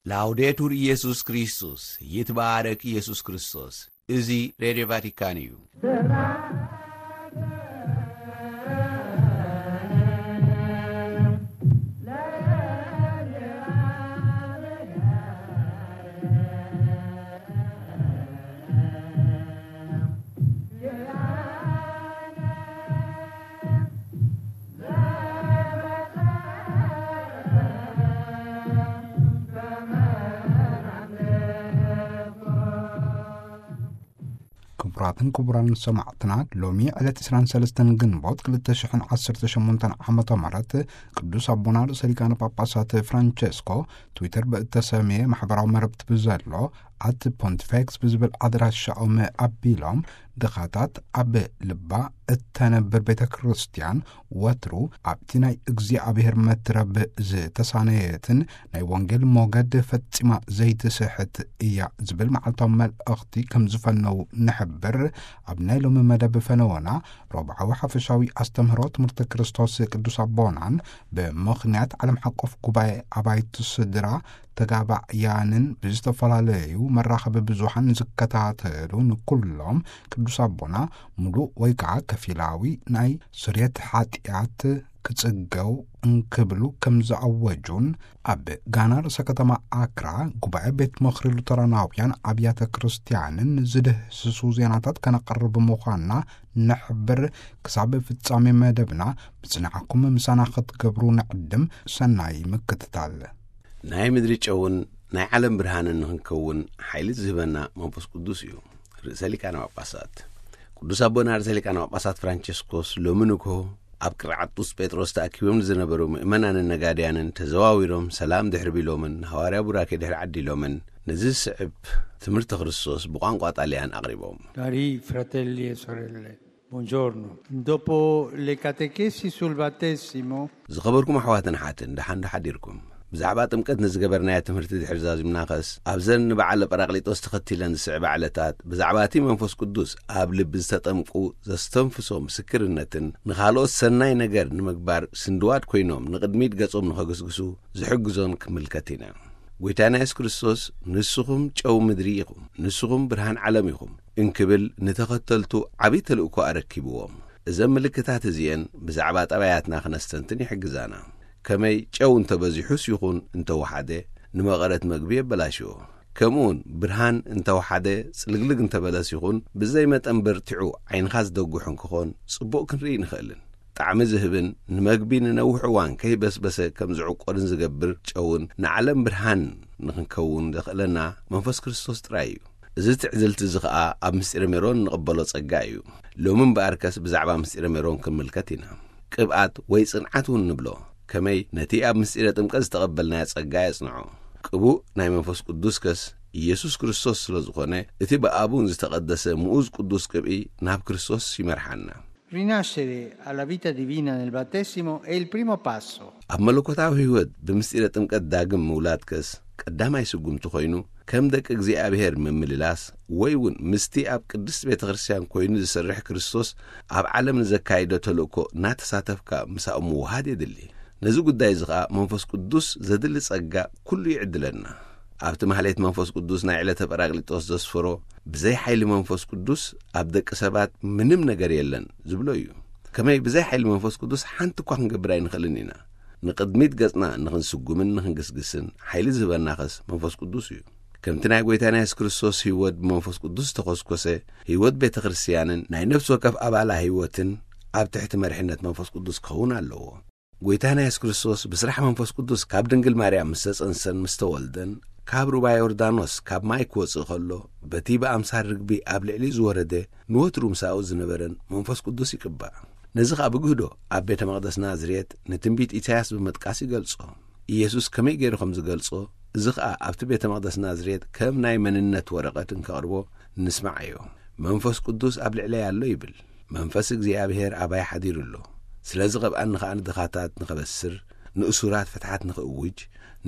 ላውዴቱር ኢየሱስ ክርስቶስ፣ ይትባረክ ኢየሱስ ክርስቶስ። እዚ ሬድዮ ቫቲካን እዩ። ክቡራትን ክቡራን ሰማዕትና፣ ሎሚ ዕለት ዕስራን ሰለስተን ግንቦት ክልተ ሽሕን ዓሰርተ ሸሞንተን ዓመተ ምህረት ቅዱስ ኣቦና ርእሰ ሊቃነ ጳጳሳት ፍራንቸስኮ ትዊተር ብእተሰምየ ማሕበራዊ መረብቲ ብዘሎ ኣት ፖንቲፌክስ ብዝብል ኣድራሻኦም ኣቢሎም፣ ድኻታት ኣብ ልባ እተነብር ቤተ ክርስቲያን ወትሩ ኣብቲ ናይ እግዚኣብሔር መትረብ ዝተሳነየትን ናይ ወንጌል ሞገድ ፈጺማ ዘይትስሕት እያ ዝብል መዓልታዊ መልእኽቲ ከም ዝፈነው ንሕብር። ኣብ ናይ ሎሚ መደብ ፈነወና፣ ረብዓዊ ሓፈሻዊ ኣስተምህሮ ትምህርቲ ክርስቶስ ቅዱስ ኣቦናን ብምኽንያት ዓለም ሓቆፍ ጉባኤ ኣባይቲ ስድራ ተጋባእያንን ብዝተፈላለዩ መራኸቢ ብዙሓን ዝከታተሉ ንኩሎም ቅዱስ ኣቦና ሙሉእ ወይ ከዓ ከፊላዊ ናይ ስርየት ሓጢኣት ክጽገው እንክብሉ ከም ዝኣወጁን፣ ኣብ ጋና ርእሰ ከተማ ኣክራ ጉባኤ ቤት ምኽሪ ሉተራናውያን ኣብያተ ክርስቲያንን ዝድህስሱ ዜናታት ከነቕርብ ምዃንና ንሕብር። ክሳብ ፍጻሜ መደብና ብጽንዓኩም ምሳና ክትገብሩ ንዕድም። ሰናይ ምክትታል። ናይ ምድሪ ጨውን ናይ ዓለም ብርሃንን ንኽንከውን ሓይሊ ዝህበና መንፈስ ቅዱስ እዩ። ርእሰ ሊቃነ ጳጳሳት ቅዱስ ኣቦና ርእሰ ሊቃነ ጳጳሳት ፍራንቸስኮስ ሎሚ ንግሆ ኣብ ቅርዓት ቅዱስ ጴጥሮስ ተኣኪቦም ንዝነበሩ ምእመናንን ነጋድያንን ተዘዋዊሮም ሰላም ድሕሪ ቢሎምን ንሃዋርያ ቡራኬ ድሕሪ ዓዲሎምን፣ ነዚ ዝስዕብ ትምህርቲ ክርስቶስ ብቋንቋ ጣልያን ኣቕሪቦም። Cari fratelli e sorelle, buongiorno. Dopo le catechesi sul battesimo, ዝኸበርኩም ኣሕዋትን ሓትን፣ ደሓን ዶ ሓዲርኩም? ብዛዕባ ጥምቀት ንዝገበርናዮ ትምህርቲ ድሕሪ ዛዚምናኸስ፣ ኣብዘን ንበዓለ ጳራቅሊጦስ ተኸቲለን ዝስዕባ ዕለታት፣ ብዛዕባ እቲ መንፈስ ቅዱስ ኣብ ልቢ ዝተጠምቁ ዘስተንፍሶ ምስክርነትን ንኻልኦት ሰናይ ነገር ንምግባር ስንድዋድ ኮይኖም ንቕድሚት ገጾም ንኸግስግሱ ዝሕግዞን ክምልከት ኢና። ጎይታና የሱስ ክርስቶስ፣ "ንስኹም ጨው ምድሪ ኢኹም፣ ንስኹም ብርሃን ዓለም ኢኹም" እንክብል ንተኸተልቱ ዓብዪ ተልእኮ ኣረኪብዎም። እዘን ምልክታት እዚኤን ብዛዕባ ጠባያትና ክነስተንትን ይሕግዛና። ከመይ ጨው እንተበዚሑስ ይኹን እንተወሓደ ንመቐረት መግቢ የበላሽዎ። ከምኡውን ብርሃን እንተወሓደ ጽልግልግ እንተበለስ ይኹን ብዘይ መጠን በርቲዑ ዓይንኻ ዝደጉሕ እንክኾን ጽቡቕ ክንርኢ ንኽእልን። ጣዕሚ ዝህብን ንመግቢ ንነዊሕ እዋን ከይበስበሰ ከም ዝዕቆርን ዝገብር ጨውን ንዓለም ብርሃን ንኽንከውን ዘኽእለና መንፈስ ክርስቶስ ጥራይ እዩ። እዚ ትዕዝልቲ እዚ ኸኣ ኣብ ምስጢረ ሜሮን እንቕበሎ ጸጋ እዩ። ሎሚ እምበኣርከስ ብዛዕባ ምስጢረ ሜሮን ክንምልከት ኢና። ቅብኣት ወይ ጽንዓት እውን ንብሎ። ከመይ ነቲ ኣብ ምስጢረ ጥምቀት ዝተቐበልናዮ ጸጋ የጽንዖ። ቅቡእ ናይ መንፈስ ቅዱስ ከስ ኢየሱስ ክርስቶስ ስለ ዝኾነ፣ እቲ ብኣቡን ዝተቐደሰ ምኡዝ ቅዱስ ቅብኢ ናብ ክርስቶስ ይመርሓና። Rinascere alla vita divina nel battesimo è il primo passo. ኣብ መለኮታዊ ህይወት ብምስጢረ ጥምቀት ዳግም ምውላድ ከስ ቀዳማይ ስጉምቲ ኮይኑ፣ ከም ደቂ እግዚኣብሔር ምምልላስ ወይ እውን ምስቲ ኣብ ቅድስት ቤተ ክርስቲያን ኮይኑ ዝሰርሕ ክርስቶስ ኣብ ዓለም ንዘካይዶ ተልእኮ እናተሳተፍካ ምሳኡ ምውሃድ የድሊ። ነዚ ጉዳይ እዚ ኸኣ መንፈስ ቅዱስ ዘድሊ ጸጋ ኩሉ ይዕድለና። ኣብቲ ማህሌት መንፈስ ቅዱስ ናይ ዕለተ ጳራቅሊጦስ ዘስፈሮ፣ "ብዘይ ሓይሊ መንፈስ ቅዱስ ኣብ ደቂ ሰባት ምንም ነገር የለን" ዝብሎ እዩ። ከመይ ብዘይ ሓይሊ መንፈስ ቅዱስ ሓንቲ እኳ ክንገብር ኣይንኽእልን ኢና። ንቕድሚት ገጽና ንኽንስጉምን ንኽንግስግስን ሓይሊ ዝህበናኸስ መንፈስ ቅዱስ እዩ። ከምቲ ናይ ጐይታና የሱስ ክርስቶስ ህይወት ብመንፈስ ቅዱስ ዝተኾስኮሰ፣ ህይወት ቤተ ክርስቲያንን ናይ ነፍሲ ወከፍ ኣባላ ህይወትን ኣብ ትሕቲ መሪሕነት መንፈስ ቅዱስ ክኸውን ኣለዎ። ጐይታና የሱስ ክርስቶስ ብስራሕ መንፈስ ቅዱስ ካብ ድንግል ማርያም ምስ ተጸንሰን ምስ ተወልደን፣ ካብ ሩባ ዮርዳኖስ ካብ ማይ ክወጽእ ከሎ፣ በቲ ብኣምሳል ርግቢ ኣብ ልዕሊኡ ዝወረደ ንወትሩ ምሳኡ ዝነበረን መንፈስ ቅዱስ ይቅባእ። ነዚ ኸኣ ብግህዶ ኣብ ቤተ መቕደስ ናዝሬት ንትንቢት ኢሳያስ ብምጥቃስ ይገልጾ። ኢየሱስ ከመይ ገይሩ ከም ዝገልጾ፣ እዚ ኸኣ ኣብቲ ቤተ መቕደስ ናዝሬት ከም ናይ መንነት ወረቐት እንከቕርቦ ንስምዓዮ። "መንፈስ ቅዱስ ኣብ ልዕለይ ኣሎ" ይብል። "መንፈስ እግዚኣብሔር ኣባይ ሓዲሩ ኣሎ። ስለዚ ቐብኣኒ ኸኣ ንድኻታት ንኸበስር፣ ንእሱራት ፍትሓት ንኽእውጅ፣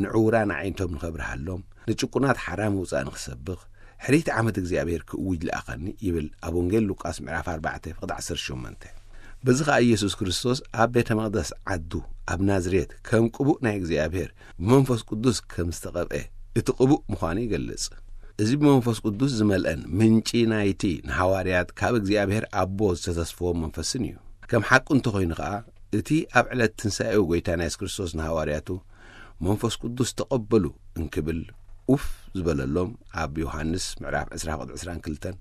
ንዕዉራን ኣዒንቶም ንኸብርሃሎም፣ ንጭቁናት ሓራ ምውጻእ ንኽሰብኽ፣ ሕርይቲ ዓመት እግዚኣብሔር ክእውጅ ለኣኸኒ" ይብል ኣብ ወንጌል ሉቃስ ምዕራፍ ኣርባዕተ ፍቕዲ ዓሰርተ ሸሞንተ። በዚ ኸኣ ኢየሱስ ክርስቶስ ኣብ ቤተ መቕደስ ዓዱ ኣብ ናዝሬት ከም ቅቡእ ናይ እግዚኣብሔር ብመንፈስ ቅዱስ ከም ዝተቐብኤ እቲ ቅቡእ ምዃኑ ይገልጽ። እዚ ብመንፈስ ቅዱስ ዝመልአን ምንጪ ናይቲ ንሃዋርያት ካብ እግዚኣብሔር ኣቦ ዝተተስፈዎም መንፈስን እዩ። ከም ሓቁ እንተኾይኑ ኸኣ፣ እቲ ኣብ ዕለት ትንሳኤኡ ጐይታና የሱስ ክርስቶስ ንሃዋርያቱ፣ "መንፈስ ቅዱስ ተቐበሉ" እንክብል ኡፍ ዝበለሎም፣ ኣብ ዮሃንስ ምዕራፍ ዕስራ ቁጽሪ ዕስራን ክልተን፣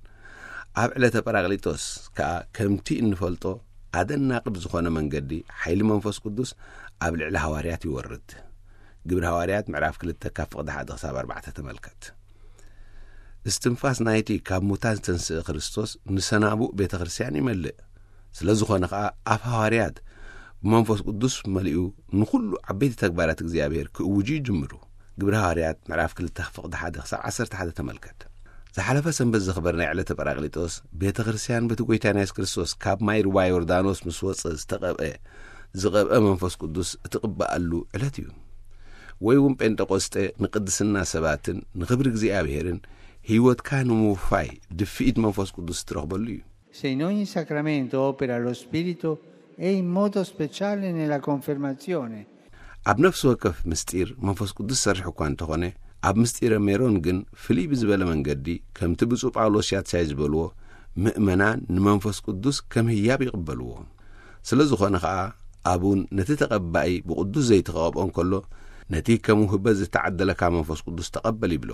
ኣብ ዕለተ ጳራቅሊጦስ ከኣ ከምቲ እንፈልጦ ኣደናቂ ብዝኾነ መንገዲ ሓይሊ መንፈስ ቅዱስ ኣብ ልዕሊ ሃዋርያት ይወርድ። ግብሪ ሃዋርያት ምዕራፍ ክልተ ካብ ፍቕዲ ሓደ ክሳብ ኣርባዕተ ተመልከት። እስትንፋስ ናይቲ ካብ ሙታን ዝተንስአ ክርስቶስ ንሰናቡእ ቤተ ክርስቲያን ይመልእ። ስለ ዝኾነ ኸኣ ኣፍ ሃዋርያት ብመንፈስ ቅዱስ መሊኡ ንኹሉ ዓበይቲ ተግባራት እግዚኣብሔር ክእውጁ ይጅምሩ። ግብሪ ሃዋርያት ምዕራፍ ክልተ ፍቕዲ ሓደ ክሳብ ዓሰርተ ሓደ ተመልከት። ዝሓለፈ ሰንበት ዘኽበርናዮ ዕለተ ጳራቅሊጦስ ቤተ ክርስቲያን በቲ ጐይታና የሱስ ክርስቶስ ካብ ማይ ሩባ ዮርዳኖስ ምስ ወጸ ዝተቐብአ፣ ዝቐብአ መንፈስ ቅዱስ እትቕበኣሉ ዕለት እዩ። ወይ እውን ጴንጠቆስጠ ንቅድስና ሰባትን ንኽብሪ እግዚኣብሔርን ህይወትካ ንምውፋይ ድፍኢት መንፈስ ቅዱስ እትረኽበሉ እዩ። Se in ogni sacramento opera lo Spirito, è in modo speciale nella confermazione. ኣብ ነፍሲ ወከፍ ምስጢር መንፈስ ቅዱስ ሰርሕ እኳ እንተኾነ፣ ኣብ ምስጢረ ሜሮን ግን ፍልይ ብዝበለ መንገዲ፣ ከምቲ ብፁዕ ጳውሎስ ሻትሳይ ዝበልዎ፣ ምእመናን ንመንፈስ ቅዱስ ከም ህያብ ይቕበልዎ። ስለ ዝኾነ ኸኣ፣ ኣቡን ነቲ ተቐባኢ ብቕዱስ ዘይተቐብኦ እንከሎ፣ ነቲ ከም ውህበት ዝተዓደለካ መንፈስ ቅዱስ ተቐበል ይብሎ።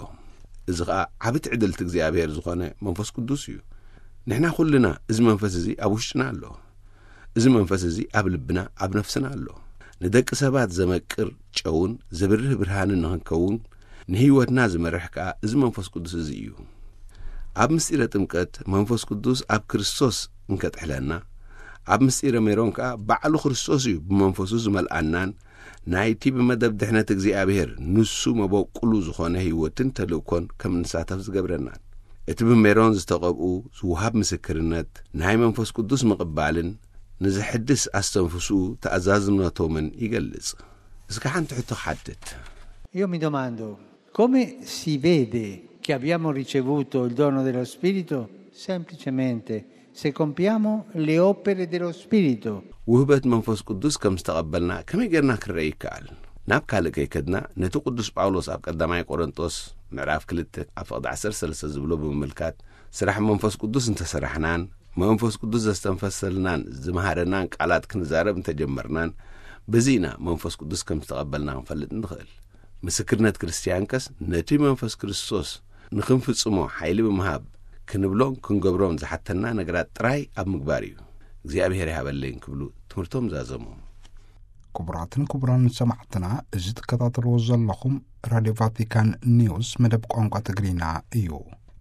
እዚ ኸኣ ዓቢ ትዕድልቲ እግዚኣብሔር ዝኾነ መንፈስ ቅዱስ እዩ። ንሕና ኩልና እዚ መንፈስ እዚ ኣብ ውሽጥና ኣሎ። እዚ መንፈስ እዚ ኣብ ልብና፣ ኣብ ነፍስና ኣሎ። ንደቂ ሰባት ዘመቅር ጨውን ዘብርህ ብርሃንን ንኽንከውን፣ ንህይወትና ዝመርሕ ከኣ እዚ መንፈስ ቅዱስ እዚ እዩ። ኣብ ምስጢረ ጥምቀት መንፈስ ቅዱስ ኣብ ክርስቶስ እንከጥሕለና፣ ኣብ ምስጢረ ሜሮን ከኣ ባዕሉ ክርስቶስ እዩ ብመንፈሱ ዝመልኣናን፣ ናይቲ ብመደብ ድሕነት እግዚኣብሔር ንሱ መበቁሉ ዝኾነ ህይወትን ተልእኮን ከም እንሳተፍ ዝገብረናን። እቲ ብሜሮን ዝተቐብኡ ዝውሃብ ምስክርነት ናይ መንፈስ ቅዱስ ምቕባልን ንዝሕድስ ኣስተንፍስኡ ተኣዛዝነቶምን ይገልጽ። እስከ ሓንቲ ሕቶ ክሓትት። Io mi domando, come si vede che abbiamo ricevuto il dono dello Spirito? Semplicemente, se compiamo le opere dello Spirito. ውህበት መንፈስ ቅዱስ ከም ዝተቐበልና ከመይ ጌርና ክንረኢ ይከኣል? ናብ ካልእ ከይከድና፣ ነቲ ቅዱስ ጳውሎስ ኣብ ቀዳማይ ቆሮንጦስ ምዕራፍ ክልተ ኣብ ፍቕዲ ዓሰርተ ሰለስተ ዝብሎ ብምምልካት፣ ስራሕ መንፈስ ቅዱስ እንተሰራሕናን፣ መንፈስ ቅዱስ ዘስተንፈሰልናን ዝመሃረናን ቃላት ክንዛረብ እንተጀመርናን፣ በዚ ኢና መንፈስ ቅዱስ ከም ዝተቐበልና ክንፈልጥ ንኽእል። ምስክርነት ክርስትያንከስ ነቲ መንፈስ ክርስቶስ ንኽንፍጽሞ ሓይሊ ብምሃብ፣ ክንብሎን ክንገብሮን ዝሓተና ነገራት ጥራይ ኣብ ምግባር እዩ። እግዚኣብሔር ይሃበለይ እንክብሉ ትምህርቶም ዛዘሙ። ክቡራትን ክቡራን ሰማዕትና፣ እዚ ትከታተልዎ ዘለኹም ራድዮ ቫቲካን ኒውስ መደብ ቋንቋ ትግርኛ እዩ።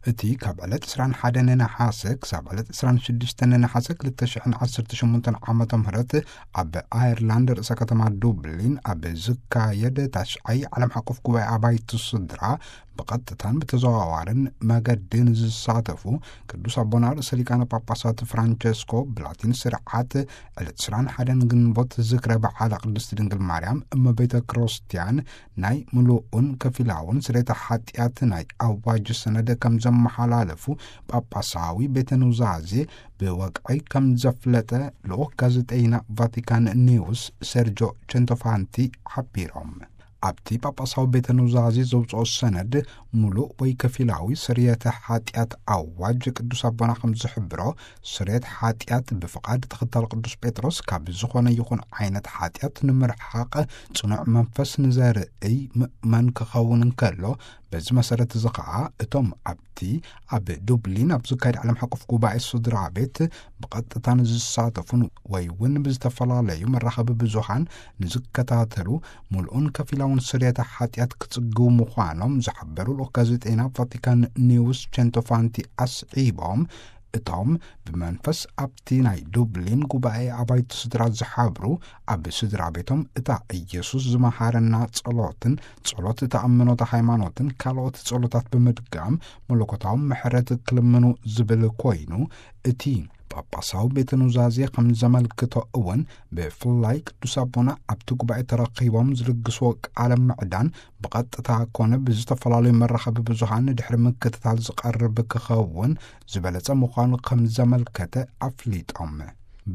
እቲ ካብ ዕለት ዕስራን ሓደን ነሓሰ ክሳብ ዕለት ዕስራን ሽዱሽተን ነሓሰ ክልተ ሽሕን ዓሰርተ ሸሞንተን ዓመተ ምህረት ኣብ ኣየርላንድ ርእሰ ከተማ ዱብሊን ኣብ ዝካየድ ታሽዓይ ዓለም ሓቆፍ ጉባኤ ኣባይቲ ስድራ ብቐጥታን ብተዘዋዋርን መገዲ ንዝሳተፉ ቅዱስ ኣቦና ርእሰ ሊቃነ ጳጳሳት ፍራንቸስኮ ብላቲን ስርዓት ዕለት ዕስራን ሓደን ግንቦት ዝክረ በዓለ ቅድስት ድንግል ማርያም እመቤተ ክርስቲያን ናይ ምሉእን ከፊላውን ስርየተ ሓጢኣት ናይ ኣዋጅ ሰነድ ከም ዘመሓላለፉ ጳጳሳዊ ቤተ ኑዛዜ ብወግዒ ከም ዘፍለጠ ልኡኽ ጋዜጠይና ቫቲካን ኒውስ ሰርጆ ቸንቶፋንቲ ሓቢሮም። ኣብቲ ጳጳሳዊ ቤተ ኑዛዜ ዘውፅኦ ሰነድ ምሉእ ወይ ከፊላዊ ስርየተ ሓጢኣት ኣዋጅ ቅዱስ ኣቦና ከም ዝሕብሮ፣ ስርየት ሓጢኣት ብፍቓድ ተኸታሊ ቅዱስ ጴጥሮስ ካብ ዝኾነ ይኹን ዓይነት ሓጢኣት ንምርሓቕ ጽኑዕ መንፈስ ንዘርእይ ምእመን ክኸውን እንከሎ፣ በዚ መሰረት እዚ ኸኣ እቶም ኣብቲ ኣብ ዱብሊን ኣብ ዝካየድ ዓለም ሓቆፍ ጉባኤ ስድራ ቤት ብቐጥታ ንዝሳተፉን ወይ እውን ብዝተፈላለዩ መራኸቢ ብዙሃን ንዝከታተሉ ምሉእን ከፊላውን ስርየተ ሓጢኣት ክጽግቡ ምዃኖም ዝሓበሩ ልኡኽ ጋዜጠይና ቫቲካን ኒውስ ቸንቶፋንቲ ኣስዒቦም፣ እቶም ብመንፈስ ኣብቲ ናይ ዱብሊን ጉባኤ ኣባይቲ ስድራ ዝሓብሩ ኣብ ስድራ ቤቶም እታ ኢየሱስ ዝመሃረና ጸሎትን ጸሎት እታ እምኖተ ሃይማኖትን ካልኦት ጸሎታት ብምድጋም መለኮታዊ ምሕረት ክልምኑ ዝብል ኮይኑ፣ እቲ ጳጳሳዊ ቤተ ኑዛዜ ከም ዘመልክቶ እውን ብፍላይ ቅዱስ ኣቦና ኣብቲ ጉባኤ ተረኺቦም ዝልግስዎ ቃለ ምዕዳን ብቐጥታ ኮነ ብዝተፈላለዩ መራኸቢ ብዙሃን ድሕሪ ምክትታል ዝቐርብ ክኸውን ዝበለጸ ምዃኑ ከም ዘመልከተ ኣፍሊጦም።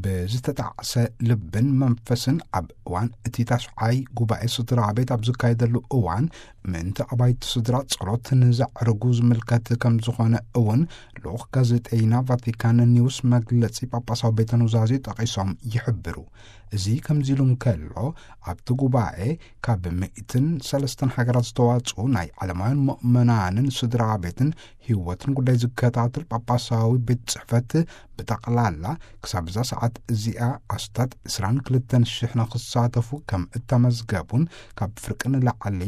ብዝተጣዕሰ ልብን መንፈስን ኣብ እዋን እቲ ታሽዓይ ጉባኤ ስድራ ቤት ኣብ ዝካየደሉ እዋን፣ ምእንቲ ኣባይቲ ስድራ ጸሎት ንዘዕርጉ ዝምልከት ከም ዝኾነ እውን ልኡኽ ጋዜጠይና ቫቲካን ኒውስ መግለጺ ጳጳሳዊ ቤተ ኑዛዜ ጠቒሶም ይሕብሩ። እዚ ከምዚ ኢሉ እንከሎ፣ ኣብቲ ጉባኤ ካብ ሚእትን ሰለስተን ሃገራት ዝተዋጽኡ ናይ ዓለማውያን ምእመናንን ስድራ ቤትን ህይወትን ጉዳይ ዝከታተል ጳጳሳዊ ቤት ጽሕፈት፣ ብጠቕላላ ክሳብ እዛ ሰዓት እዚኣ ኣስታት ዕስራን ክልተን ሽሕ ንኽሳተፉ ከም እተመዝገቡን ካብ ፍርቂ ንላዕሊ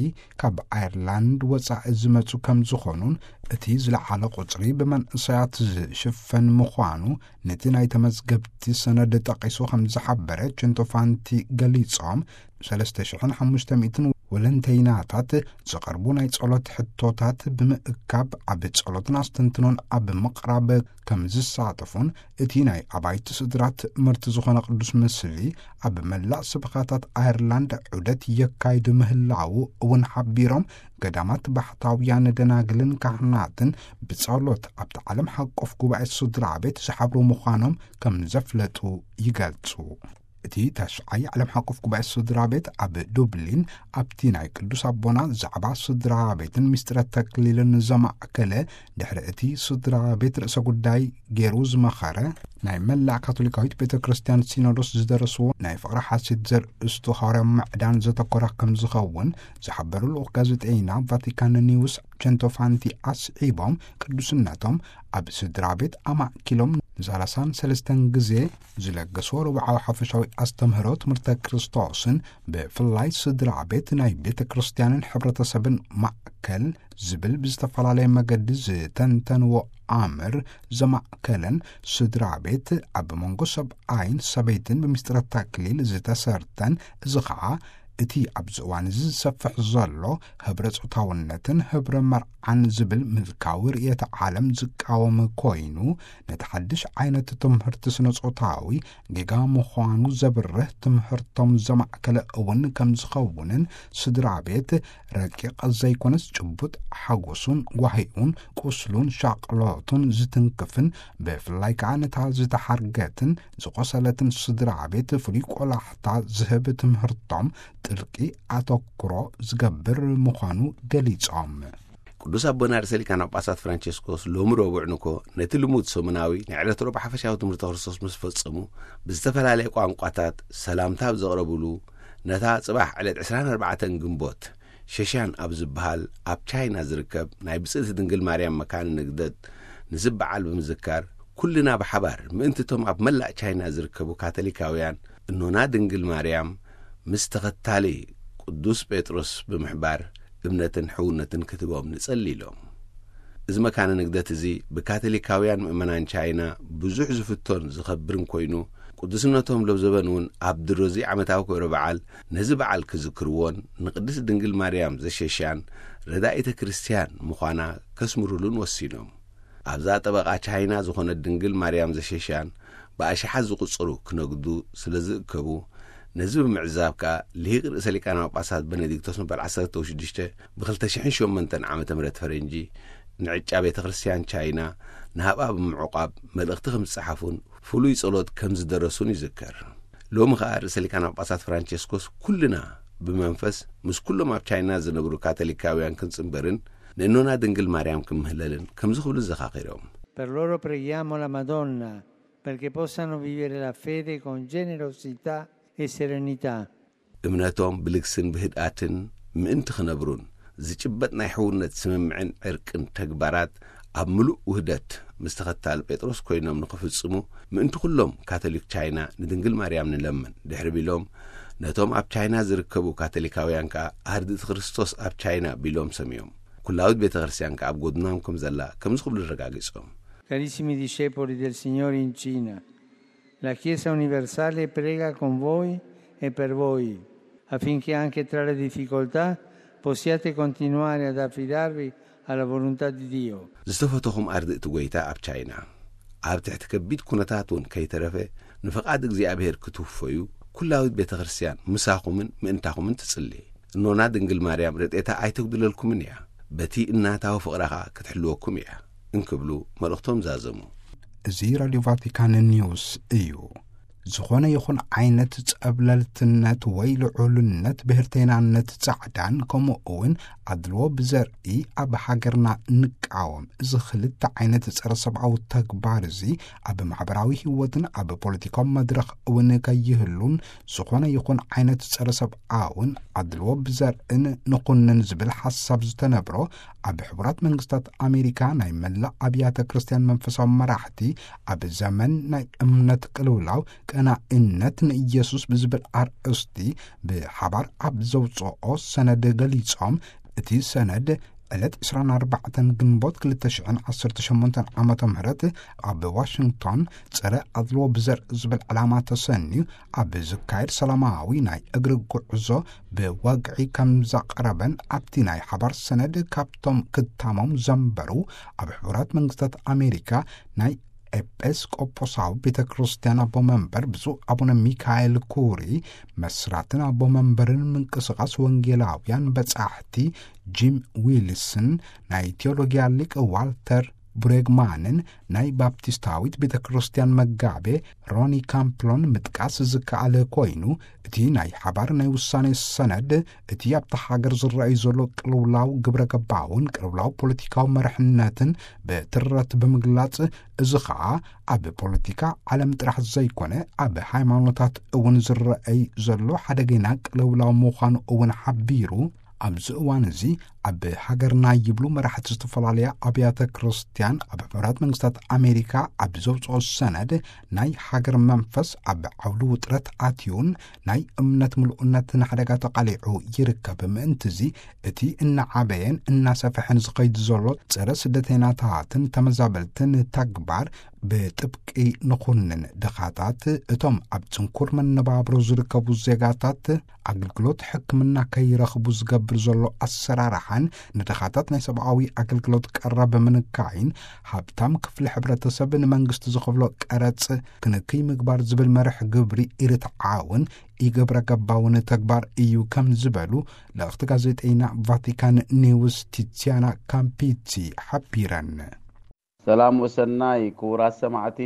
ካብ ኣየርላንድ ወጻኢ ዝመጹ ከም ዝኾኑን፣ እቲ ዝለዓለ ቁጽሪ ብመንእሰያት ዝሽፈን ምዃኑ ነቲ ናይ ተመዝገብቲ ሰነድ ጠቒሱ ከም ዝሓበረ ቸንቶፋንቲ ገሊጾም፣ ሰለስተ ሽሕን ሓሙሽተ ሚእትን ወለንተይናታት ዝቐርቡ ናይ ጸሎት ሕቶታት ብምእካብ ኣብ ጸሎትን ኣስተንትኖን ኣብ ምቕራብ ከም ዝሳተፉን፣ እቲ ናይ ኣባይቲ ስድራ ትምህርቲ ዝኾነ ቅዱስ ምስሊ ኣብ መላእ ስብኻታት ኣየርላንድ ዑደት የካይድ ምህላዉ እውን ሓቢሮም፣ ገዳማት ባሕታውያን ደናግልን ካህናትን ብጸሎት ኣብቲ ዓለም ሓቆፍ ጉባኤ ስድራ ቤት ዝሓብሩ ምዃኖም ከም ዘፍለጡ ይገልጹ። እቲ ታሽዓይ ዓለም ሓቆፍ ጉባኤ ስድራ ቤት ኣብ ዱብሊን ኣብቲ ናይ ቅዱስ ኣቦና ዛዕባ ስድራ ቤትን ምስጢረ ተክሊልን ዘማእከለ፣ ድሕሪ እቲ ስድራ ቤት ርእሰ ጉዳይ ገይሩ ዝመኸረ፣ ናይ መላእ ካቶሊካዊት ቤተ ክርስቲያን ሲኖዶስ ዝደረስዎ ናይ ፍቕሪ ሓሴት ዘርእስቱ ሃዋርያዊ ምዕዳን ዘተኮረ ከም ዝኸውን ዝሓበሩ ልኡኽ ጋዜጠይና ቫቲካን ኒውስ ቸንቶፋንቲ ኣስዒቦም፣ ቅዱስነቶም ኣብ ስድራ ቤት ኣማእኪሎም ንሳላሳን ሰለስተን ግዜ ዝለገስዎ ርብዓዊ ሓፈሻዊ ኣስተምህሮ ትምህርተ ክርስቶስን፣ ብፍላይ ስድራ ቤት ናይ ቤተ ክርስቲያንን ሕብረተሰብን ማእከል ዝብል ብዝተፈላለየ መገዲ ዝተንተንዎ ኣምር ዘማእከለን፣ ስድራ ቤት ኣብ መንጎ ሰብኣይን ሰበይትን ብምስጢረ ተክሊል ዝተሰርተን፣ እዚ ኸዓ እቲ ኣብዚ እዋን እዚ ዝሰፍሕ ዘሎ ህብረ ጾታውነትን ህብረ መርዓን ዝብል ምልካዊ ርእየተ ዓለም ዝቃወም ኮይኑ፣ ነቲ ሓድሽ ዓይነት ትምህርቲ ስነ ጾታዊ ጌጋ ምዃኑ ዘብርህ ትምህርቶም ዘማእከለ እውን ከም ዝኸውንን፣ ስድራ ቤት ረቂቕ ዘይኮነስ ጭቡጥ ሓጎሱን ጓሂኡን ቁስሉን ሻቕሎቱን ዝትንክፍን፣ ብፍላይ ከኣ ነታ ዝተሓርገትን ዝቖሰለትን ስድራ ቤት ፍሉይ ቆላሕታ ዝህብ ትምህርቶም ጥልቂ ኣተኩሮ ዝገብር ምዃኑ ገሊጾም። ቅዱስ ኣቦና ርእሰ ሊቃነ ጳጳሳት ፍራንቸስኮስ ሎሚ ረቡዕ ንኮ ነቲ ልሙድ ሰሙናዊ ናይ ዕለት ረቡዕ ሓፈሻዊ ትምህርቲ ክርስቶስ ምስ ፈጸሙ፣ ብዝተፈላለየ ቋንቋታት ሰላምታ ኣብ ዘቕረብሉ፣ ነታ ጽባሕ ዕለት ዕስራን ኣርባዕተን ግንቦት ሸሻን ኣብ ዝበሃል ኣብ ቻይና ዝርከብ ናይ ብጽእቲ ድንግል ማርያም መካነ ንግደት ንዚ በዓል ብምዝካር፣ ኩልና ብሓባር ምእንቲ እቶም ኣብ መላእ ቻይና ዝርከቡ ካቶሊካውያን እኖና ድንግል ማርያም ምስ ተኸታሊ ቅዱስ ጴጥሮስ ብምሕባር እምነትን ሕውነትን ክትህቦም ንጸሊ ኢሎም። እዚ መካነ ንግደት እዚ ብካቶሊካውያን ምእመናን ቻይና ብዙሕ ዝፍቶን ዝኸብርን ኮይኑ፣ ቅዱስነቶም ለብዘበን እውን ኣብ ድሮዚ ዓመታዊ ክብረ በዓል ነዚ በዓል ክዝክርዎን ንቅድስት ድንግል ማርያም ዘሸሻን ረዳኢተ ክርስቲያን ምዃና ከስምሩሉን ወሲኖም። ኣብዛ ጠበቓ ቻይና ዝኾነት ድንግል ማርያም ዘሸሻን ብኣሽሓት ዝቑጸሩ ክነግዱ ስለ ዝእከቡ፣ ነዚ ብምዕዛብ ከኣ ልሂቅ ርእሰ ሊቃነ ጳጳሳት በነዲክቶስ መበል ዓሰርተ ሽዱሽተ ብ ክልተ ሽሕን ሸሞንተን ዓመተ ምህረት ፈረንጂ ንዕጫ ቤተ ክርስቲያን ቻይና ንሃብኣ ብምዕቋብ መልእኽቲ ከም ዝጸሓፉን ፍሉይ ጸሎት ከም ዝደረሱን ይዝከር። ሎሚ ኸኣ ርእሰ ሊቃነ ጳጳሳት ፍራንቸስኮስ ኩልና ብመንፈስ ምስ ኩሎም ኣብ ቻይና ዝነብሩ ካቶሊካውያን ክንጽንበርን ንእኖና ድንግል ማርያም ክምህለልን ከምዚ ክብሉ ዘኻኺሮም። Per loro preghiamo la Madonna, perché possano vivere la fede con generosità e serenità. እምነቶም ብልግስን ብህድኣትን ምእንቲ ክነብሩን ዝጭበጥ ናይ ሕውነት ስምምዕን ዕርቅን ተግባራት ኣብ ምሉእ ውህደት ምስ ተኸታል ጴጥሮስ ኮይኖም ንኽፍጽሙ ምእንቲ ኩሎም ካቶሊክ ቻይና ንድንግል ማርያም ንለምን ድሕሪ ቢሎም፣ ነቶም ኣብ ቻይና ዝርከቡ ካቶሊካውያን ከኣ ኣርድእቲ ክርስቶስ ኣብ ቻይና ቢሎም ሰምዮም። ኩላዊት ቤተ ክርስቲያን ከኣ ኣብ ጎድኖም ከም ዘላ ከምዚ ክብሉ ኣረጋጊጾም። Carissimi discepoli del Signore in Cina, la Chiesa universale prega con voi e per voi, affinché anche tra le difficoltà possiate continuare ad affidarvi alla volontà di Dio. ዝተፈተኹም ኣርድእቲ ጐይታ ኣብ ቻይና፣ ኣብ ትሕቲ ከቢድ ኩነታት እውን ከይተረፈ ንፍቓድ እግዚኣብሔር ክትውፈዩ ኩላዊት ቤተ ክርስቲያን ምሳኹምን ምእንታኹምን ትጽሊ። እኖና ድንግል ማርያም ረድኤታ ኣይተጉድለልኩምን እያ፣ በቲ እናታዊ ፍቕራ ኸኣ ክትሕልወኩም እያ እንክብሉ መልእኽቶም ዛዘሙ። እዚ ራድዮ ቫቲካን ኒውስ እዩ። ዝኾነ ይኹን ዓይነት ጸብለልትነት ወይ ልዑልነት፣ ብሄርተይናነት፣ ጻዕዳን ከምኡ እውን ኣድልዎ ብዘርኢ ኣብ ሃገርና ንቃወም። እዚ ክልተ ዓይነት ጸረ ሰብኣዊ ተግባር እዚ ኣብ ማሕበራዊ ህይወትን ኣብ ፖለቲካዊ መድረኽ እውን ከይህሉን፣ ዝኾነ ይኹን ዓይነት ጸረ ሰብኣውን ኣድልዎ ብዘርእን ንኹንን ዝብል ሓሳብ ዝተነብሮ፣ ኣብ ሕቡራት መንግስታት ኣሜሪካ ናይ መላእ ኣብያተ ክርስቲያን መንፈሳዊ መራሕቲ፣ ኣብ ዘመን ናይ እምነት ቅልውላው ቀናኢነት ንኢየሱስ ብዝብል ኣርእስቲ ብሓባር ኣብ ዘውፅኦ ሰነድ ገሊጾም። እቲ ሰነድ ዕለት ዕስራን ኣርባዕተን ግንቦት ክልተ ሽሕን ዓሰርተ ሸሞንተን ዓመተ ምህረት ኣብ ዋሽንግቶን ጸረ ኣድልዎ ብዘር ዝብል ዕላማ ተሰንዩ ኣብ ዝካየድ ሰላማዊ ናይ እግሪ ጉዕዞ ብወግዒ ከም ዘቕረበን፣ ኣብቲ ናይ ሓባር ሰነድ ካብቶም ክታሞም ዘንበሩ ኣብ ሕቡራት መንግስታት ኣሜሪካ ናይ ኤጲስቆጶሳዊ ቤተ ክርስቲያን ኣቦ መንበር ብፁዕ ኣቡነ ሚካኤል ኩሪ፣ መስራትን ኣቦ መንበርን ምንቅስቓስ ወንጌላውያን በጻሕቲ ጂም ዊልስን፣ ናይ ቴዎሎጊያ ሊቅ ዋልተር ብሬግማንን ናይ ባፕቲስታዊት ቤተ ክርስቲያን መጋቤ ሮኒ ካምፕሎን ምጥቃስ ዝከኣል ኮይኑ፣ እቲ ናይ ሓባር ናይ ውሳኔ ሰነድ እቲ ኣብታ ሃገር ዝረኣዩ ዘሎ ቅልውላው ግብረ ገባውን ቅልውላው ፖለቲካዊ መርሕነትን ብትረት ብምግላጽ፣ እዚ ኸኣ ኣብ ፖለቲካ ዓለም ጥራሕ ዘይኮነ ኣብ ሃይማኖታት እውን ዝረኣይ ዘሎ ሓደገኛ ቅልውላው ምዃኑ እውን ሓቢሩ። ኣብዚ እዋን እዚ ኣብ ሃገርና ይብሉ መራሕቲ ዝተፈላለያ ኣብያተ ክርስቲያን ኣብ ሕቡራት መንግስታት ኣሜሪካ ኣብ ዘውፅኦ ሰነድ፣ ናይ ሃገር መንፈስ ኣብ ዓውዲ ውጥረት ኣትዩን ናይ እምነት ምሉእነት ንሓደጋ ተቓሊዑ ይርከብ። ምእንቲ እዚ እቲ እናዓበየን እናሰፍሐን ዝኸይድ ዘሎ ጸረ ስደተይናታትን ተመዛበልትን ተግባር ብጥብቂ ንኹንን። ድኻታት እቶም ኣብ ጽንኩር መነባብሮ ዝርከቡ ዜጋታት ኣገልግሎት ሕክምና ከይረኽቡ ዝገብር ዘሎ ኣሰራርሓን ንድኻታት ናይ ሰብኣዊ ኣገልግሎት ቀረብ ምንካይን፣ ሃብታም ክፍሊ ሕብረተሰብ ንመንግስቲ ዝኸፍሎ ቀረጽ ክንክይ ምግባር ዝብል መርሕ ግብሪ ኢርትዓውን ኢግብረ ገባውን ተግባር እዩ ከም ዝበሉ ልእኽቲ ጋዜጠይና ቫቲካን ኒውስ ቲትሲያና ካምፒቲ ሓቢረን። ሰላም ወሰናይ ክቡራት ሰማዕቲ፣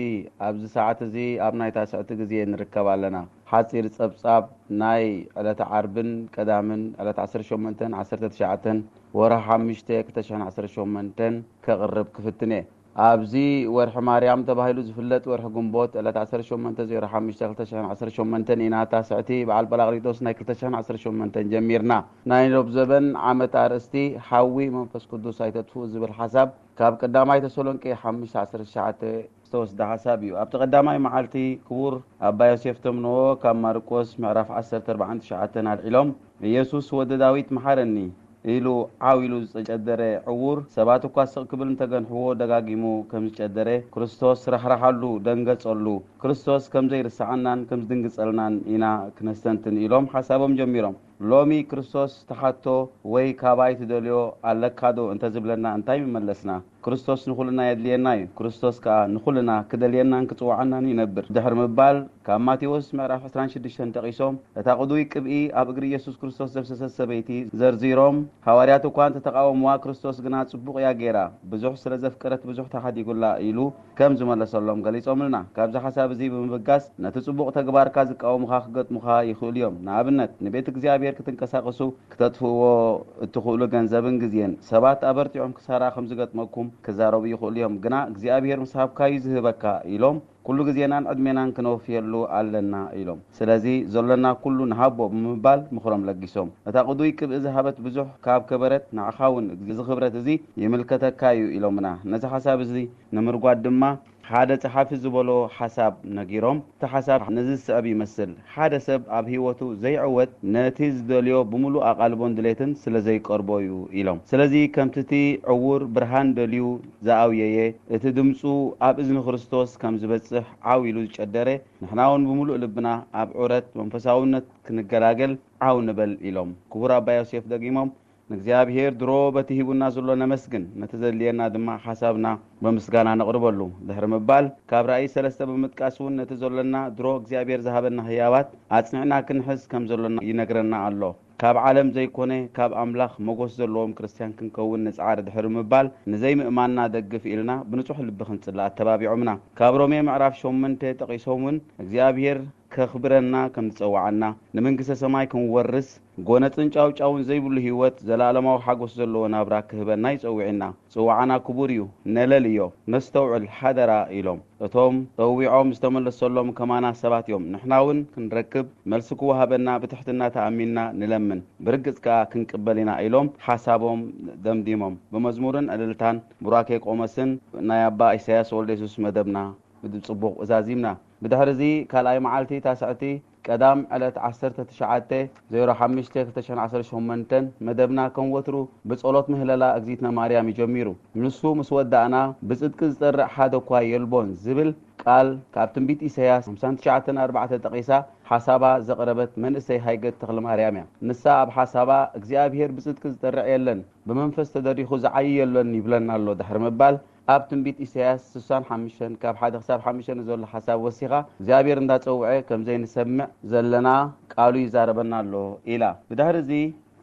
ኣብዚ ሰዓት እዚ ኣብ ናይ ታስዕቲ ግዜ ንርከብ ኣለና። ሓጺር ጸብጻብ ናይ ዕለተ ዓርብን ቀዳምን ዕለት ዓሰርተ ሸሞንተን ዓሰርተ ትሽዓተን ወርሒ ሓሙሽተ ክልተ ሽሕን ዓሰርተ ሸሞንተን ከቕርብ ክፍትን እየ። ኣብዚ ወርሒ ማርያም ተባሂሉ ዝፍለጥ ወርሒ ግንቦት ዕለት ዓሰርተ ሸሞንተ ዜሮ ሓሙሽተ ክልተ ሽሕን ዓሰርተ ሸሞንተን ኢና ታስዕቲ በዓል ጳራቅሊጦስ ናይ ክልተ ሽሕን ዓሰርተ ሸሞንተን ጀሚርና። ናይ ሎብ ዘበን ዓመት ኣርእስቲ ሓዊ መንፈስ ቅዱስ ኣይተጥፍኡ ዝብል ሓሳብ ካብ ቀዳማይ ተሰሎንቄ ሓሙሽተ ዓሰርተ ትሽዓተ ዝተወስደ ሓሳብ እዩ። ኣብቲ ቀዳማይ መዓልቲ ክቡር ኣባ ዮሴፍ ተምንዎ ካብ ማርቆስ ምዕራፍ ዓሰርተ ኣርባዓን ትሽዓተን ኣልዒሎም፣ "ኢየሱስ ወዲ ዳዊት መሓረኒ" ኢሉ ዓው ኢሉ ዝጨደረ ዕዉር፣ ሰባት እኳ ስቕ ክብል እንተገንሕዎ ደጋጊሙ ከም ዝጨደረ፣ ክርስቶስ ራሕራሓሉ፣ ደንገጸሉ። ክርስቶስ ከም ዘይርስዓናን ከም ዝድንግጸልናን ኢና ክነስተንትን ኢሎም ሓሳቦም ጀሚሮም። ሎሚ ክርስቶስ ትሓቶ ወይ ካባይ ትደልዮ ኣለካዶ እንተዝብለና እንታይ ምመለስና? ክርስቶስ ንኹልና የድልየና እዩ። ክርስቶስ ከኣ ንኹልና ክደልየናን ክጽውዓናን ይነብር። ድሕሪ ምባል ካብ ማቴዎስ ምዕራፍ ዕስራን ሽዱሽተን ጠቒሶም፣ እታ ቅዱይ ቅብኢ ኣብ እግሪ ኢየሱስ ክርስቶስ ዘፍሰሰት ሰበይቲ ዘርዚሮም፣ ሃዋርያት እኳ እንተተቓወምዋ፣ ክርስቶስ ግና ጽቡቕ እያ ገይራ። ብዙሕ ስለ ዘፍቀረት ብዙሕ ተሓዲጉላ ኢሉ ከም ዝመለሰሎም ገሊጾምልና። ካብዚ ሓሳብ እዚ ብምብጋስ፣ ነቲ ጽቡቕ ተግባርካ ዝቃወሙኻ ክገጥሙኻ ይኽእሉ እዮም። ንኣብነት፣ ንቤት እግዚኣብሔር ክትንቀሳቐሱ ክተጥፍእዎ እትኽእሉ ገንዘብን ግዜን። ሰባት ኣበርቲዖም ክሳራ ከም ዝገጥመኩም ክዛረቡ ይኽእሉ እዮም፣ ግና እግዚኣብሔር ምስ ሃብካዩ ዝህበካ ኢሎም ኩሉ ግዜናን ዕድሜናን ክነወፍየሉ ኣለና ኢሎም። ስለዚ ዘሎና ኩሉ ንሃቦ ብምባል ምኽሮም ለጊሶም። እታ ቅዱይ ቅብኢ ዝሃበት ብዙሕ ካብ ከበረት ንዓኻ እውን እዚ ክብረት እዚ ይምልከተካ እዩ ኢሎምና። ነዚ ሓሳብ እዚ ንምርጓድ ድማ ሓደ ጸሓፊ ዝበሎ ሓሳብ ነጊሮም። እቲ ሓሳብ ነዚ ዝስዕብ ይመስል። ሓደ ሰብ ኣብ ህይወቱ ዘይዕወት ነቲ ዝደልዮ ብምሉእ ኣቓልቦን ድሌትን ስለ ዘይቀርቦ እዩ ኢሎም። ስለዚ ከምቲ እቲ ዕዉር ብርሃን ደልዩ ዝኣውየየ፣ እቲ ድምጹ ኣብ እዝኒ ክርስቶስ ከም ዝበጽሕ ዓው ኢሉ ዝጨደረ፣ ንሕና እውን ብምሉእ ልብና ኣብ ዑረት መንፈሳውነት ክንገላገል ዓው ንበል ኢሎም። ክቡር ኣባ ዮሴፍ ደጊሞም፣ ንእግዚኣብሔር ድሮ በቲ ሂቡና ዘሎ ነመስግን፣ ነቲ ዘድልየና ድማ ሓሳብና ብምስጋና ነቕርበሉ። ድሕሪ ምባል፣ ካብ ራእይ ሰለስተ ብምጥቃስ እውን ነቲ ዘሎና ድሮ እግዚኣብሔር ዝሃበና ህያባት ኣጽኒዕና ክንሕዝ ከም ዘሎና ይነግረና ኣሎ። ካብ ዓለም ዘይኮነ ካብ ኣምላኽ መጎስ ዘለዎም ክርስትያን ክንከውን ንጽዓር ድሕሪ ምባል፣ ንዘይምእማንና ደግፍ ኢልና ብንጹሕ ልቢ ክንጽሊ ኣተባቢዖምና። ካብ ሮሜ ምዕራፍ ሸሞንተ ጠቒሶም እውን እግዚኣብሔር ከኽብረና ከም ዝጸውዓና፣ ንመንግስተ ሰማይ ክንወርስ፣ ጎነጽን ጫውጫውን ዘይብሉ ህይወት፣ ዘላለማዊ ሓጎስ ዘለዎ ናብራ ክህበና ይጸውዕና። ጽዋዓና ክቡር እዩ፣ ነለልዮ፣ ነስተውዕል፣ ሓደራ ኢሎም። እቶም ጸዊዖም ዝተመለሰሎም ከማና ሰባት እዮም። ንሕና እውን ክንረክብ፣ መልሲ ክወሃበና ብትሕትና ተኣሚንና ንለምን። ብርግጽ ከኣ ክንቅበል ኢና ኢሎም ሓሳቦም ደምዲሞም። ብመዝሙርን ዕልልታን ቡራኬ ቆሞስን ናይ ኣባ ኢሳያስ ወልደ የሱስ መደብና ብጽቡቕ ዛዚምና። ብድሕርዚ ካልኣይ መዓልቲ ታስዕቲ ቀዳም ዕለት ዓሰርተ ትሽዓተ ዜሮ ሓሙሽተ ክልተ ሽሕን ዓሰርተ ሸሞንተን መደብና ከም ወትሩ ብጸሎት ምህለላ እግዚእትነ ማርያም እዩ ጀሚሩ። ንሱ ምስ ወዳእና ብጽድቂ ዝጸርዕ ሓደ እኳ የልቦን ዝብል ቃል ካብ ትንቢት ኢሳያስ ሓምሳን ትሽዓተን ኣርባዕተ ጠቒሳ ሓሳባ ዘቕረበት መንእሰይ ሃይገት ተኽለ ማርያም እያ። ንሳ ኣብ ሓሳባ እግዚኣብሔር ብጽድቂ ዝጸርዕ የለን፣ ብመንፈስ ተደሪኹ ዝዓዪ የሎን ይብለና ኣሎ ድሕሪ ምባል፣ ኣብ ትንቢት ኢሳያስ ስሳን ሓሙሽተን ካብ ሓደ ክሳብ ሓሙሽተ ንዘሎ ሓሳብ ወሲኻ እግዚኣብሔር እንዳጸውዐ ከም ዘይንሰምዕ ዘለና ቃሉ ይዛረበና ኣሎ ኢላ። ብድሕሪ እዚ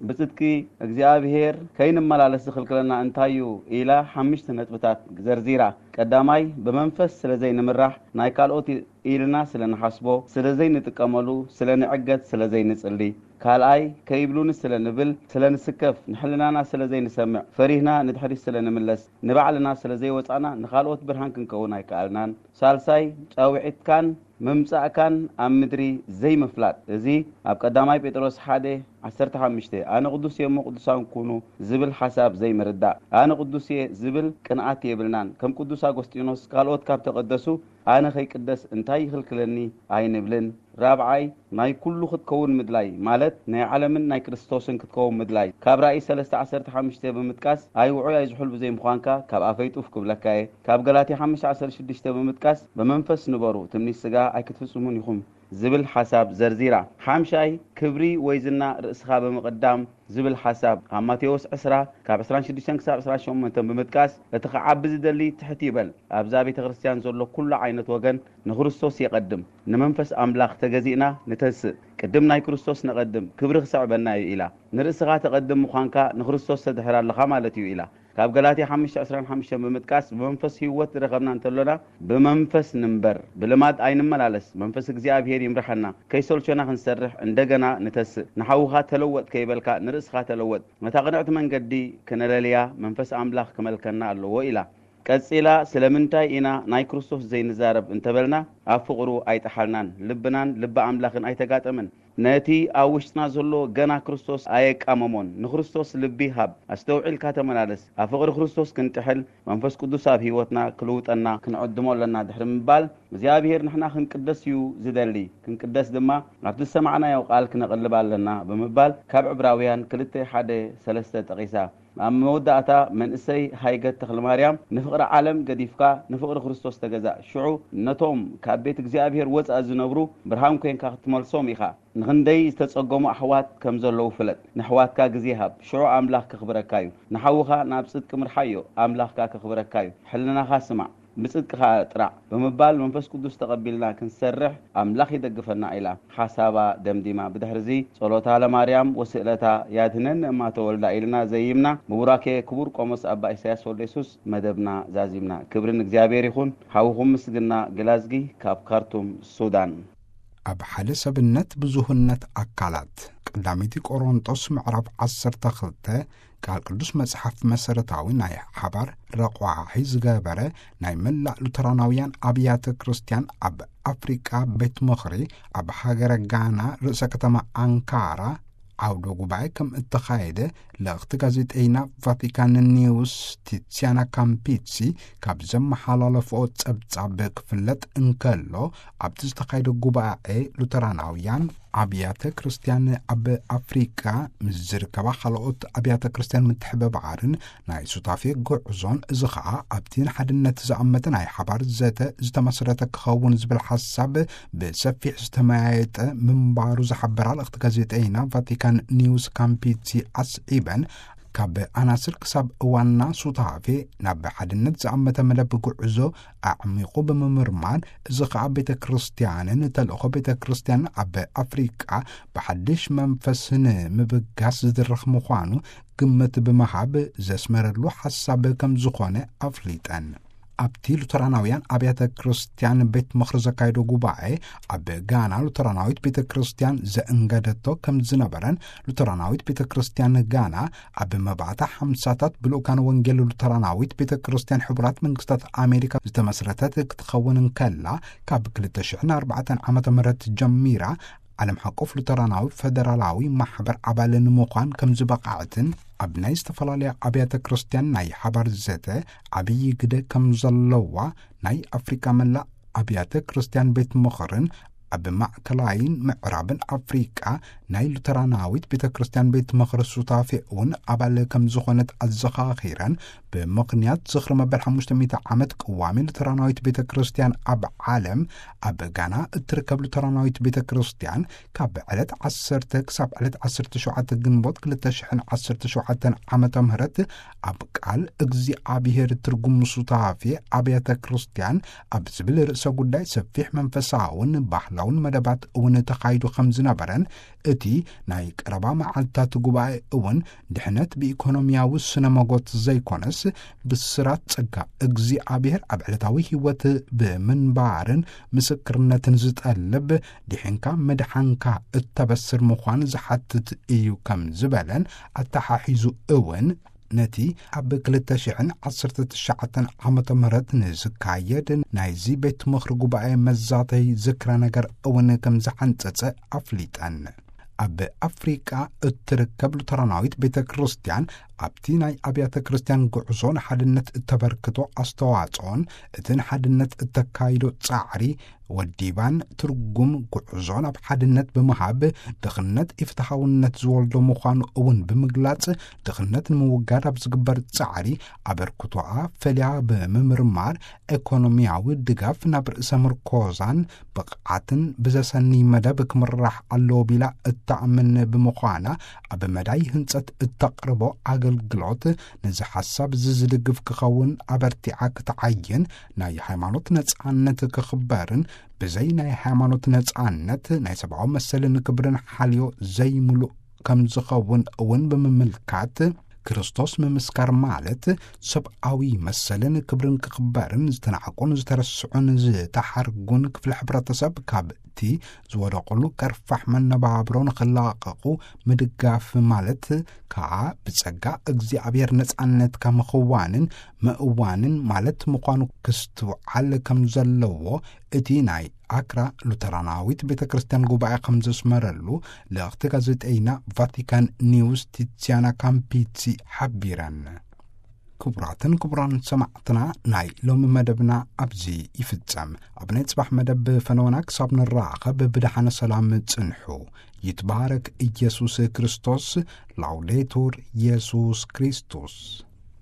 ብጽድቂ እግዚኣብሔር ከይንመላለስ ዝኽልክለና እንታይ እዩ ኢላ ሓሙሽተ ነጥብታት ዘርዚራ። ቀዳማይ ብመንፈስ ስለ ዘይንምራሕ፣ ናይ ካልኦት ኢልና ስለ ንሓስቦ ስለ ዘይንጥቀመሉ፣ ስለ ንዕገት ስለ ዘይንጽሊ፣ ካልኣይ ከይብሉኒ ስለ ንብል ስለ ንስከፍ፣ ንሕልናና ስለ ዘይንሰምዕ ፈሪህና ንድሕሪት ስለ ንምለስ፣ ንባዕልና ስለ ዘይወጻና ንኻልኦት ብርሃን ክንከውን ኣይከኣልናን። ሳልሳይ ጻውዒትካን ምምጻእካን ኣብ ምድሪ ዘይምፍላጥ። እዚ ኣብ ቀዳማይ ጴጥሮስ ሓደ ዓሰርተ ሓሙሽተ ኣነ ቅዱስ እየ እሞ ቅዱሳን ኩኑ ዝብል ሓሳብ ዘይምርዳእ። ኣነ ቅዱስ እየ ዝብል ቅንኣት የብልናን። ከም ቅዱስ ኣጎስጢኖስ ካልኦት ካብ ተቐደሱ ኣነ ከይቅደስ እንታይ ይኽልክለኒ ኣይንብልን። ራብዓይ ናይ ኩሉ ክትከውን ምድላይ ማለት ናይ ዓለምን ናይ ክርስቶስን ክትከውን ምድላይ። ካብ ራእይ ሰለስተ ዓሰርተ ሓሙሽተ ብምጥቃስ ኣይውዑይ ኣይዝሑል ብዘይምዃንካ ካብ ኣፈይ ጡፍ ክብለካ እየ። ካብ ገላትያ ሓሙሽተ ዓሰርተ ሽዱሽተ ብምጥቃስ ብመንፈስ ንበሩ፣ ትምኒት ስጋ ኣይክትፍጽሙን ኢኹም ዝብል ሓሳብ ዘርዚራ። ሓምሻይ ክብሪ ወይ ዝና ርእስኻ ብምቕዳም ዝብል ሓሳብ ካብ ማቴዎስ ዕስራ ካብ ዕስራን ሽዱሽተን ክሳብ ዕስራን ሸሞንተን ብምጥቃስ እቲ ክዓቢ ዝደሊ ትሕት ይበል። ኣብዛ ቤተ ክርስቲያን ዘሎ ኩሉ ዓይነት ወገን ንክርስቶስ የቐድም። ንመንፈስ ኣምላኽ ተገዚእና ንተስእ። ቅድም ናይ ክርስቶስ ነቐድም፣ ክብሪ ክስዕበና እዩ ኢላ። ንርእስኻ ተቐድም ምዃንካ ንክርስቶስ ተድሕር ኣለኻ ማለት እዩ ኢላ። ካብ ገላትያ ሓሙሽተ ዕስራን ሓሙሽተን ብምጥቃስ ብመንፈስ ህይወት ዝረኸብና እንተሎና ብመንፈስ ንንበር፣ ብልማድ ኣይንመላለስ። መንፈስ እግዚኣብሔር ይምርሓና። ከይሰልቸና ክንሰርሕ እንደገና ንተስእ። ንሓውኻ ተለወጥ ከይበልካ ንርእስኻ ተለወጥ። ነታ ቅንዕቲ መንገዲ ክነለልያ መንፈስ ኣምላኽ ክመልከና ኣለዎ ኢላ። ቀጺላ ስለምንታይ ኢና ናይ ክርስቶስ ዘይንዛረብ እንተበልና ኣብ ፍቕሩ ኣይጠሓልናን፣ ልብናን ልቢ ኣምላኽን ኣይተጋጠመን። ነቲ ኣብ ውሽጥና ዘሎ ገና ክርስቶስ ኣየቃመሞን። ንክርስቶስ ልቢ ሃብ፣ ኣስተውዒልካ ተመላለስ። ኣብ ፍቕሪ ክርስቶስ ክንጥሕል መንፈስ ቅዱስ ኣብ ህይወትና ክልውጠና ክንዕድሞ ኣለና ድሕሪ ምባል እግዚኣብሔር ንሕና ክንቅደስ እዩ ዝደሊ። ክንቅደስ ድማ ኣብቲ ዝሰማዕናዮ ቃል ክነቕልብ ኣለና ብምባል ካብ ዕብራውያን ክልተ ሓደ ሰለስተ ጠቒሳ። ኣብ መወዳእታ መንእሰይ ሃይገት ተኽለማርያም ንፍቕሪ ዓለም ገዲፍካ ንፍቕሪ ክርስቶስ ተገዛእ። ሽዑ ነቶም ካብ ቤት እግዚኣብሔር ወጻእ ዝነብሩ ብርሃን ኮይንካ ክትመልሶም ኢኻ። ንኽንደይ ዝተጸገሙ ኣሕዋት ከም ዘለዉ ፍለጥ። ንኣሕዋትካ ግዜ ሃብ። ሽዑ ኣምላኽ ከኽብረካ እዩ። ንሓውኻ ናብ ጽድቂ ምርሓዮ። ኣምላኽካ ከኽብረካ እዩ። ሕልናኻ ስማዕ። ብጽድቅኻ ጥራዕ ብምባል መንፈስ ቅዱስ ተቐቢልና ክንሰርሕ ኣምላኽ ይደግፈና ኢላ ሓሳባ ደምዲማ። ብድሕርዚ ጸሎታ ለማርያም ወስእለታ ያድህነኒ እማ ተወልዳ ኢልና ዘይምና ብቡራኬ ክቡር ቆሞስ ኣባ ኢሳያስ ወልደየሱስ መደብና ዛዚምና። ክብሪ ንእግዚኣብሔር ይኹን። ሓውኹም ምስግና ግላዝጊ ካብ ካርቱም ሱዳን። ኣብ ሓደ ሰብነት ብዙህነት ኣካላት ቀዳመይቲ ቆሮንጦስ ምዕራፍ ዓሰርተ ክልተ ቃል ቅዱስ መጽሓፍ መሰረታዊ ናይ ሓባር ረቋሒ ዝገበረ ናይ መላእ ሉተራናውያን ኣብያተ ክርስቲያን ኣብ ኣፍሪቃ ቤት ምኽሪ ኣብ ሃገረ ጋና ርእሰ ከተማ ኣንካራ ዓውደ ጉባኤ ከም እተኻየደ ልእኽቲ ጋዜጠይና ቫቲካን ኒውስ ቲሲያና ካምፒሲ ካብ ዘመሓላለፍኦ ጸብጻብ ክፍለጥ እንከሎ፣ ኣብቲ ዝተኻየደ ጉባኤ ሉተራናውያን ኣብያተ ክርስቲያን ኣብ ኣፍሪቃ ምስ ዝርከባ ካልኦት ኣብያተ ክርስቲያን ምትሕብባርን ናይ ሱታፌ ጉዕዞን፣ እዚ ኸኣ ኣብቲ ንሓድነት ዝኣመተ ናይ ሓባር ዘተ ዝተመስረተ ክኸውን ዝብል ሓሳብ ብሰፊሕ ዝተመያየጠ ምንባሩ ዝሓበራ ልእኽቲ ጋዜጠይና ቫቲካን ኒውስ ካምፒሲ ኣስዒበን፣ ካብ ኣናስር ክሳብ ዋና ሱታፌ ናብ ሓድነት ዝኣመተ መደብ ጉዕዞ ኣዕሚቑ ብምምርማር፣ እዚ ኸኣ ቤተ ክርስቲያንን ተልእኾ ቤተ ክርስቲያን ኣብ ኣፍሪቃ ብሓድሽ መንፈስ ንምብጋስ ዝድረኽ ምዃኑ ግምት ብምሃብ ዘስመረሉ ሓሳብ ከም ዝኾነ ኣፍሊጠን። ኣብቲ ሉተራናውያን ኣብያተ ክርስቲያን ቤት ምኽሪ ዘካየዶ ጉባኤ፣ ኣብ ጋና ሉተራናዊት ቤተ ክርስቲያን ዘእንገደቶ ከም ዝነበረን፣ ሉተራናዊት ቤተ ክርስቲያን ጋና ኣብ መባእታ ሓምሳታት ብልኡካን ወንጌል ሉተራናዊት ቤተ ክርስቲያን ሕቡራት መንግስታት ኣሜሪካ ዝተመስረተት ክትኸውን እንከላ፣ ካብ ክልተ ሽሕን ኣርባዕተን ዓመተ ምህረት ጀሚራ ዓለም ሓቆፍ ሉተራናዊ ፈደራላዊ ማሕበር ኣባል ንምዃን ከም ዝበቓዕትን፣ ኣብ ናይ ዝተፈላለያ ኣብያተ ክርስቲያን ናይ ሓባር ዘተ ዓብዪ ግደ ከም ዘለዋ ናይ ኣፍሪቃ መላእ ኣብያተ ክርስቲያን ቤት ምኽርን ኣብ ማእከላይን ምዕራብን ኣፍሪቃ ናይ ሉተራናዊት ቤተ ክርስቲያን ቤት ምኽሪ ሱታፌ እውን ኣባል ከም ዝኾነት ኣዘኻኺረን፣ ብምኽንያት ዝኽሪ መበል ሓሙሽተ ሚእቲ ዓመት ቅዋሜ ሉተራናዊት ቤተ ክርስቲያን ኣብ ዓለም፣ ኣብ ጋና እትርከብ ሉተራናዊት ቤተ ክርስቲያን ካብ ዕለት ዓሰርተ ክሳብ ዕለት ዓሰርተ ሸውዓተ ግንቦት ክልተ ሽሕን ዓሰርተ ሸውዓተን ዓመተ ምህረት ኣብ ቃል እግዚኣብሔር ትርጉም ሱታፌ ኣብያተ ክርስቲያን ኣብ ዝብል ርእሰ ጉዳይ ሰፊሕ መንፈሳውን ባህላውን መደባት እውን ተኻይዱ ከም ዝነበረን፣ እቲ ናይ ቀረባ መዓልታት ጉባኤ እውን ድሕነት ብኢኮኖሚያዊ ስነ መጎት ዘይኮነስ፣ ብስራት ጸጋ እግዚኣብሔር ኣብ ዕለታዊ ህይወት ብምንባርን ምስክርነትን ዝጠልብ፣ ድሒንካ ምድሓንካ እተበስር ምዃን ዝሓትት እዩ ከም ዝበለን ኣተሓሒዙ እውን፣ ነቲ ኣብ ክልተ ሽሕን ዓሰርተ ትሽዓተን ዓመተ ምህረት ንዝካየድ ናይዚ ቤት ምኽሪ ጉባኤ መዛተይ ዝክረ ነገር እውን ከም ዝሓንጸጸ ኣፍሊጠን። ኣብ ኣፍሪቃ እትርከብ ሉተራናዊት ቤተ ክርስቲያን ኣብቲ ናይ ኣብያተ ክርስቲያን ጉዕዞ ንሓድነት እተበርክቶ ኣስተዋጽኦን እቲ ንሓድነት እተካይዶ ጻዕሪ ወዲባን፣ ትርጉም ጉዕዞ ናብ ሓድነት ብምሃብ፣ ድኽነት ኢፍትሓውነት ዝወልዶ ምዃኑ እውን ብምግላጽ፣ ድኽነት ንምውጋድ ኣብ ዝግበር ጻዕሪ ኣበርክቶኣ ፈልያ ብምምርማር፣ ኢኮኖሚያዊ ድጋፍ ናብ ርእሰ ምርኮዛን ብቕዓትን ብዘሰንይ መደብ ክምራሕ ኣለዎ ቢላ እተኣምን ብምዃና፣ ኣብ መዳይ ህንጸት እተቕርቦ ኣገልግሎት ነዚ ሓሳብ እዚ ዝድግፍ ክኸውን ኣበርቲዓ ክትዓይን፣ ናይ ሃይማኖት ነጻነት ክኽበርን፣ ብዘይ ናይ ሃይማኖት ነጻነት ናይ ሰብኣዊ መሰልን ክብርን ሓልዮ ዘይምሉእ ከም ዝኸውን እውን ብምምልካት፣ ክርስቶስ ምምስካር ማለት ሰብኣዊ መሰልን ክብርን ክኽበርን፣ ዝተናዕቁን ዝተረስዑን ዝተሓርጉን ክፍሊ ሕብረተሰብ ካብቲ ዝወደቑሉ ከርፋሕ መነባብሮ ንኽላቐቑ ምድጋፍ ማለት ከኣ ብጸጋ እግዚኣብሔር ነጻነትካ ምኽዋንን ምእዋንን ማለት ምዃኑ ክስትውዓል ከም ዘለዎ እቲ ናይ ኣክራ ሉተራናዊት ቤተ ክርስቲያን ጉባኤ ከም ዘስመረሉ ልእኽቲ ጋዜጠይና ቫቲካን ኒውስ ቲትሲያና ካምፒሲ ሓቢረን። ክቡራትን ክቡራን ሰማዕትና፣ ናይ ሎሚ መደብና ኣብዚ ይፍጸም። ኣብ ናይ ጽባሕ መደብ ፈነወና ክሳብ ንራኸብ ብደሓነ ሰላም ጽንሑ። ይትባረክ ኢየሱስ ክርስቶስ። ላውዴቱር ኢየሱስ ክርስቶስ።